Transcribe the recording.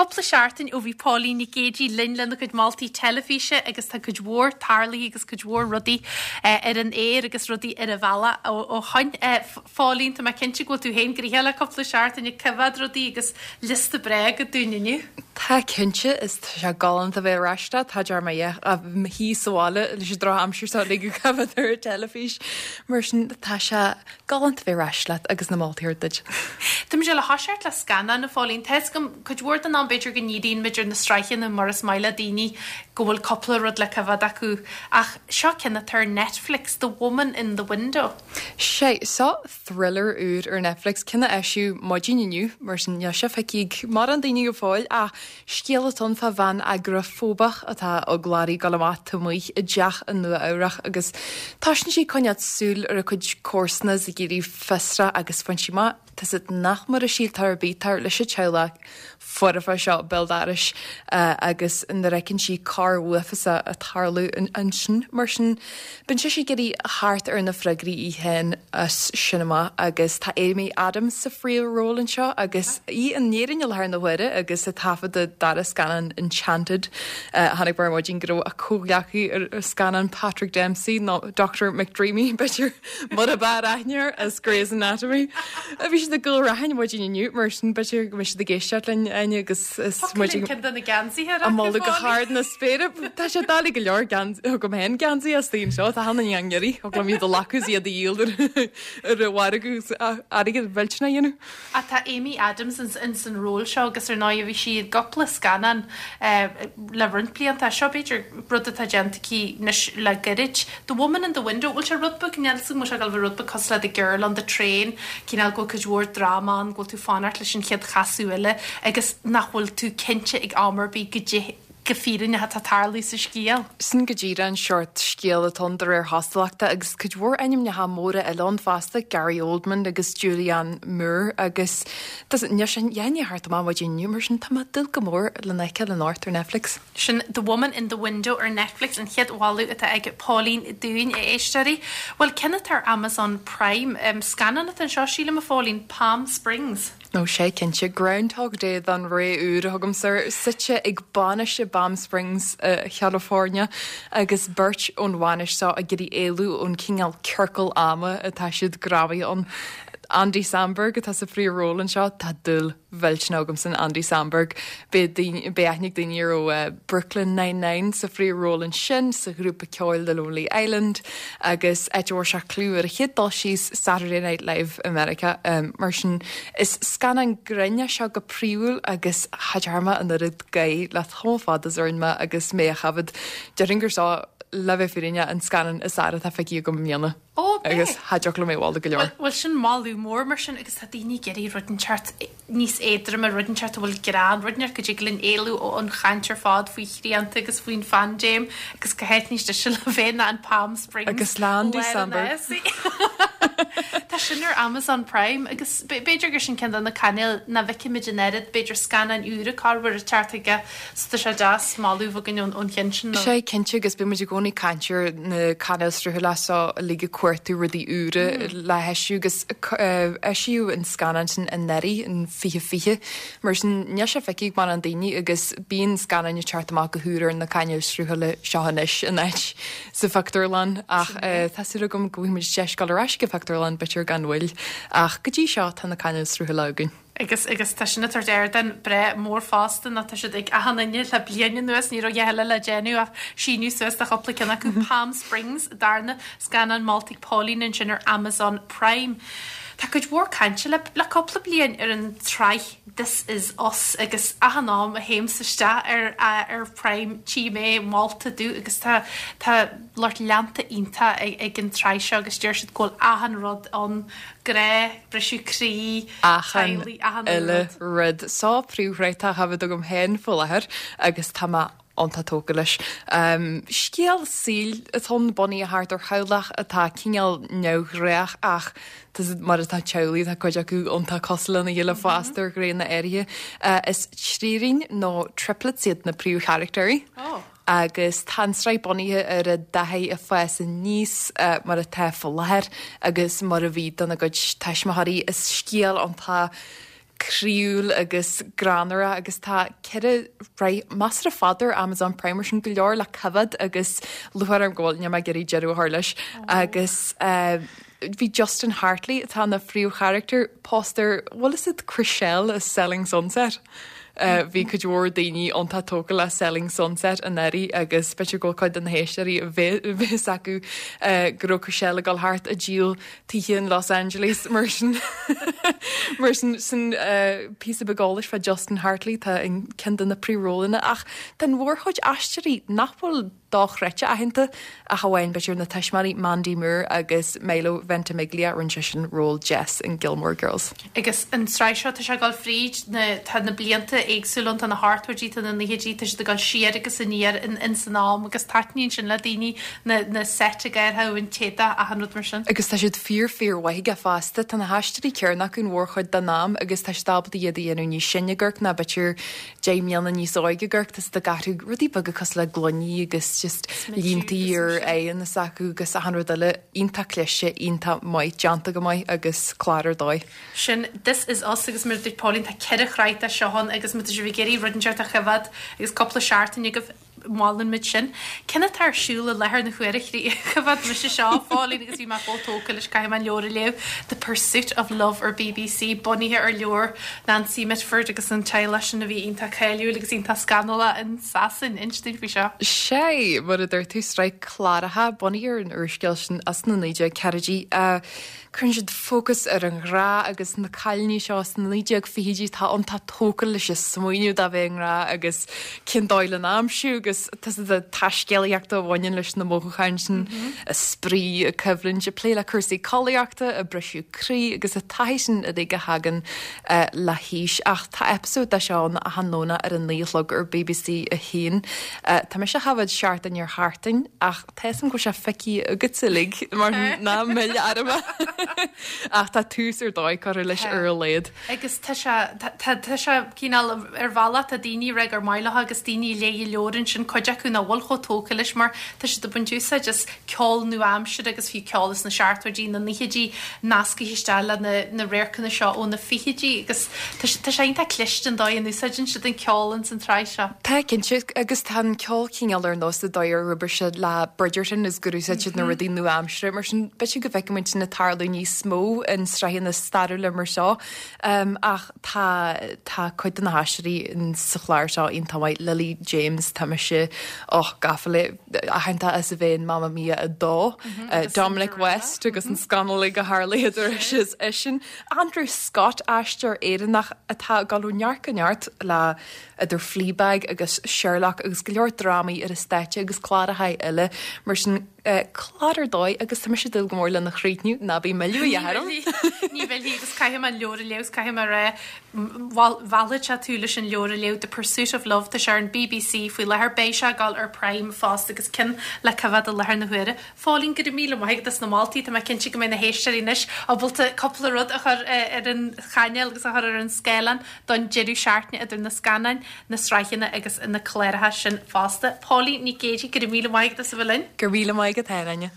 Cúpla seachtain ó bhí Póilín Nic Géidigh linn lena cuid moltaí teilifíse agus tá cuid mhór tarlaithe agus cuid mhór rudaí ar an aer agus rudaí ar an bhealach ó shoin. A Phóilín, tá mé cinnte go bhfuil tú féin gnoitheach le cúpla seachtain ag coimhéad rudaí agus liosta breá agat dúinn inniu. Tá cinnte, is tá sé galánta bheith ar ais leat, tá dear mé a bheith i mo shuí sa bhaile leis an drochaimsir seo uilig ag coimhéad ar an teilifís. Mar sin tá sé Galánta bheith ar ais leat agus na moltaí a thabhairt duit. Tá muid le thoiseacht le scannán, a Phóilín. Tá 'fhios agam, cuid mhór den am b'fhéidir go ndíríonn muid ar na sraitheanna mar is maith le daoine go bhfuil cúpla rud le coimhéad acu ach seo ceann atá ar Netflix, The Woman in the Window. Sé, seo thriller úr ar Netflix, ceann a eisíodh maidin inniu, mar sin níl sé feicthe ag mórán daoine go fóill ach Scéal atá ann fá bhean agorafóbach atá eagla uirthi dul amach taobh amuigh i dteach i Nua Eabhrach agus toisíonn sí ag coinneáil súil ar a cuid comharsana is ag éirí fiosrach agus faigheann sí amach tá siad nach mar a síltear ar bith tar leis an teaghlach foirfe seo béal dorais agus nuair a fheiceann sí coir uafásach ag tarlú ansin mar sin Bíonn sise ag iarraidh theacht ar na freagraí í féin as sin amach agus tá Amy Adams sa phríomhról anseo agus í in Éirinn i láthair na huaire agus ag taifeadadh a dara scannán Enchanted. Chonaic mé ar maidin go raibh a comhghleacaí ar an scannán Patrick Dempsey nó Doctor McDreamy b'fhéidir mar ab fhearr aithne air as Grey's Anatomy. Bhí siad i gCúil Raithin maidin inniu mar sin b'fhéidir go mbeidh siad ag éisteacht linn Áine agus is muid ag Ceann de na geansaithe á moladh go hard na spéire. Tá sé doiligh go leor agam féin geansaí as daoine seo, tá cheana i ngiorraí, thug liom iad a ghlacadh is iad a dhíol ar an mhargadh agus airgead mhillteanach a dhéanamh. Ach tá Amy Adams ins an ról seo agus ar ndóigh bhí sí i gcúpla scannán le roinnt blianta. Seo b'fhéidir rud atá déanta aici anois le gairid. The Woman in the Window, bhfuil sé rud beag, níl 'fhios agam, bhfuil sé ag dul a bheith rud beag cosúil le The Girl on the Train, cineál go bhfuil cuid mhór dráma ann, go bhfuil tú fanacht leis an chéad chasadh eile agus nach bhfuil tú cinnte ag am ar bith goidé go fírinneach atá ag tarlú sa scéal. Sin go díreach an seort scéil atá ann de réir chosúlachta agus cuid mhór ainmneacha móra eile ann fosta, Gary Oldman agus Julianne Moore agus níl sé dhéanamh thart amach maidin inniu mar sin tá mé ag dúil go mór lena fheiceáil anocht ar Netflix. Sin The Woman in the Window ar Netflix, an chéad mholadh atá ag Pauline dúinn, a éisteoirí. Bhuel, ceann atá ar Amazon Prime, scannán atá anseo sílim, a Phóilín, Palm Springs. Ó sea, cinnte. Groundhog Day don ré úr a thugaimse air, suite ag bainis i bPalm Springs i California agus beirt ón bhainis seo ag iarraidh éalú ón cineál ciorcal ama atá siad greamaithe ann. Andy Samberg atá sa phríomhról anseo, tá dúil mhillteanach agamsa in Andy Samberg. Beidh aithne ag daoine air ó Brooklyn Nine-Nine sa phríomhról ansin, sa ghrúpa ceoil The Lonely Island agus áit a bhfuair sé clú ar a chéad dul síos, Saturday Night Live i Meiriceá. Mar sin, is scannán grinn é seo go príomhúil agus cha dtearn mé an oiread gáire le tamall fada is a rinne mé agus mé á choimhéad. Déarfainn gur seo, le bheith fírinneach, an scannán is fhearr atá feicthe agam i mbliana. Ó, b'é. Agus cha dtiocfadh liom é a mholadh go leor. Bhuel, bhuel, sin moladh mór mar sin agus tá daoine ag iarraidh rud inteacht níos éadroime, rud inteacht a bhfuil greann, rud inteacht go dtig linn éalú ón chaint ar fad faoi shrianta agus faoin phaindéim agus cá háit níos deise le bheith ná in Palm Springs. Agus le Andy Samberg. Tá sin ar Amazon Prime agus b'fhéidir gur sin ceann de na cainéil nach bhfeicimid an oiread, b'fhéidir scannáin úra corruair ag teacht chuige So tá sé deas moladh a bheith againn ón cheann sin. Sea, cinnte, agus bíonn muid i gcónaí ag caint ar na cainéil sruthála seo uilig ag cuartú rudaí úra le heisiú agus eisíodh an scannán sin anuraidh in 2020. Mar sin, níl sé feicthe ag mórán daoine agus bíonn scannáin ag teacht amach go húr ar na cainéil sruthála seo anois in áit sa phictiúrlann ach tá súil agam go bhfaighidh muid deis dul ar ais go pictiúrlann b'fhéidir gan mhoill ach go dtí seo tá na cainéil sruthála againn. Agus, agus tá sin ag tabhairt ardán breá mór fosta nó tá siad ag achan duine le bliain anuas, ní raibh a dhath eile le déanamh ach síniú suas do chúpla ceann acu. Palm Springs, darna scannán molta ag Pauline ansin ar Amazon Prime. Tá cuid mhór cainte le, le cúpla bliain ar an tsraith This Is Us agus achan am a théimse isteach ar, ar Prime tchím é molta domh agus tá, tá lucht leanta iontach ag, ag an tsraith seo agus deir siad go bhfuil achan rud ann, grá, briseadh croí, achan uile rud. Seo príomhshraith atá á choimhéad agam féin faoi láthair agus tá mé iontach tógtha leis. Scéal saoil atá ann, bunaithe thart ar theaghlach atá cineál neamhghnách ach mar atá teaghlaigh, tá cuid acu iontach cosúil lena chéile fosta ar ghnéanna áirithe. Is trírín nó triplets iad na príomhcharachtéirí. agus tá an tsraith bunaithe ar a dtaithí ag fás aníos mar atá faoi láthair agus mar a bhí dona gcuid tuismitheoirí. Is scéal iontach. croíúil agus greannmhar agus tá 4 shraith measartha fada ar Amazon Prime mar sin go leor le coimhéad agus lúcháir orm go bhfuil, níl mé ag iarraidh deireadh a chur leis agus bhí Justin Hartley atá ina phríomhcharachtar pósta ar, bhfuil fhios a'd Chrishell as Selling Sunset? Bhí cuid mhór daoine iontach tógtha le Selling Sunset anuraidh agus b'fhéidir go bhfuil cuid de na héisteoirí a bheadh fhios acu go raibh Chrishell ag dul thart ag díol tithe in Los Angeles mar sin mar sin sin píosa beag eolais fá Justin Hartley atá in ceann de na príomhrólanna ach tá an mhórchuid aisteoirí nach bhfuil dochreidte aitheanta ach amháin b'fhéidir na tuismitheoirí Mandy Moore agus Milo Ventimiglia rinne seisean ról Jess in Gilmore Girls. Agus an tsraith seo tá sé ag dul fríd na tá na blianta éagsúla ann tá na hochtóidí tá na naochaidí tá siad ag dul siar agus aniar in in san am agus taitníonn sin le daoine na na seit ag athrú an t-éadach achan rud mar sin. Agus tá siad fíor fíor mhaith aige fosta tá na haisteoirí céanna acu an mhórchuid den am agus tá siad ábalta iad a dhéanamh níos sine ag amharc ná b'fhéidir 10 mbliana níos óige ag amharc, tá siad ag athrú rudaí beaga cosúil le gloiní agus just líontaí ar aghaidheanna s'acu agus achan rud eile. Iontach cliste, iontach maith, déanta go maith agus clár ar dóigh. Sin This Is Us agus mar a dúirt Pauline tá 4 shraith de seo ann agus má tá sibh ag iarraidh rud inteacht a choimhéad agus cúpla seachtain agaibh, Molann muid sin. Cén atá ar siúl i láthair na huaire? Choimhéad mise seo, a Phauline, agus bhí mé chomh tógtha leis, caithfidh mé an leabhar a léamh, The Pursuit of Love ar bbc, bunaithe ar leabhar Nancy Mitford agus an teaghlach sin a bhí iontach cáiliúil agus iontach scannalach in Sasain. Inis dúinn faoi seo. Sea, mar a dúirt tú, sraith cláracha bunaithe ar an úrscéal sin as na 1940idí. Cuireann siad fócas ar an ghrá agus na cailíní seo sna 1920idí atá iontach tógtha leis an smaoineamh de bheith i ngrá agus cén dóigh lena aimsiú agus tá siad ag taiscéalaíocht a bhaineann leis na mothúcháin sin, an spraoi, an choimhlint, ag plé le cúrsaí collaíochta, an briseadh croí agus an taithí sin uilig a thagann le haois. Ach tá eipeasóid de seo ann achan Domhnach ar a 9 a chlog ar bbc 1. Tá mise á choimhéad seachtain ar sheachtain ach Tá 'fhios a'm go bhfuil sé feicthe agat uilig mar ná mill orm ach tá tús ar dóigh curtha leis ar a laghad. Agus tá sé, tá, tá sé cineál ar bhealach, tá daoine ag rá gur maith leo agus daoine a léigh an leabhar ansin, cuid acu nach bhfuil chomh tógtha leis mar tá siad ag baint úsáid as ceol nua-aimseartha agus fiú ceol as na seachtóidí, na naochaidí nasctha isteach le na, na radharcanna seo ó na fichidí agus tá sé, tá sé iontach cliste an dóigh a n-úsáideann siad an ceol ins an tsraith seo. Tá, cinnte, agus tá an ceol cineál ar nós an dóigh ar oibrigh siad le Bridgerton is gur úsáid siad na rudaí nua-aimseartha mar sin b'fhéidir go bhfeicfidh muid sin ag tarlú níos mó in sraitheanna stairiúla mar seo. Ach tá tá cuid de na haisteoirí sa chlár seo iontach maith, Lily James, tá mise och gafa léi, aitheanta as a bheith in Mamma Mia 2, Dominic West agus an scannal uilig a tharla idir ise is eisean, Andrew Scott, aisteoir Éireannach atá ag dul ó neart go neart le idir Fleabag agus Sherlock agus go leor drámaí ar an stáitse agus cláracha eile mar sin, clár ar dóigh agus tá mise ag dúil go mór lena chríochnú, ná bí ag milleadh a dhath orm! Ní mhillfidh agus caithfidh mé an leabhar a léamh agus caithfidh mé a rá, mheallfadh sé tú leis an leabhar a léamh, The Pursuit of Love, tá sé ar an bbc faoi láthair, beidh sé ag dul ar Prime fosta agus ceann le coimhéad i láthair na huaire. Phauline, go raibh míle maith agat as na moltaí, tá mé cinnte go mbeidh na héisteoirí anois ábalta cúpla rud a chur ar an chainéal agus a chur ar an scáileán don deireadh seachtaine idir na scannáin, na sraitheanna agus na cláracha sin fosta. Pauline Nic Géidigh, go raibh míle maith agat as a bheith linn. Go raibh míle maith agat féin, Áine.